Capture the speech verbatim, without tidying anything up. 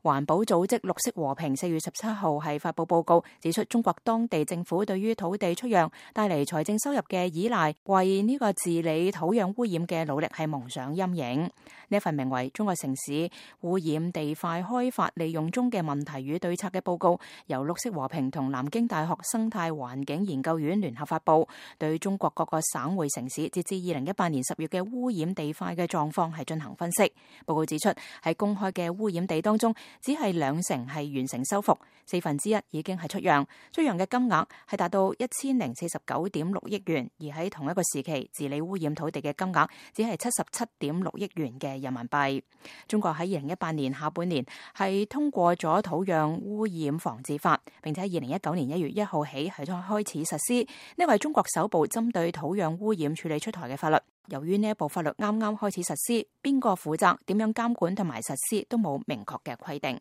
環保組織綠色和平四月十七號係發布報告，指出中國當地政府對於土地出讓帶嚟財政收入嘅依賴，為呢個治理土壤污染嘅努力係蒙上陰影。呢一份名為《中國城市污染地塊開發利用中嘅問題與對策》嘅報告，由綠色和平同南京大學生態環境研究院聯合發布，對中國各個省會城市截至二零一八年十月嘅污染地塊嘅狀況係進行分析。報告指出，喺公開嘅污染地當中，只係兩成係完成修復，四分之一已經係出讓，出讓嘅金額係達到一千零四十九點六億元，而喺同一個時期治理污染土地嘅金額只係七十七點六億元嘅人民幣。中國喺二零一八年下半年係通過咗土壤污染防治法，並且喺二零一九年一月一號起係開始實施，呢個係中國首部針對土壤污染處理出台嘅法律。由於呢一部法律啱啱開始實施，邊個負責、點樣監管同埋實施都冇明確嘅規定。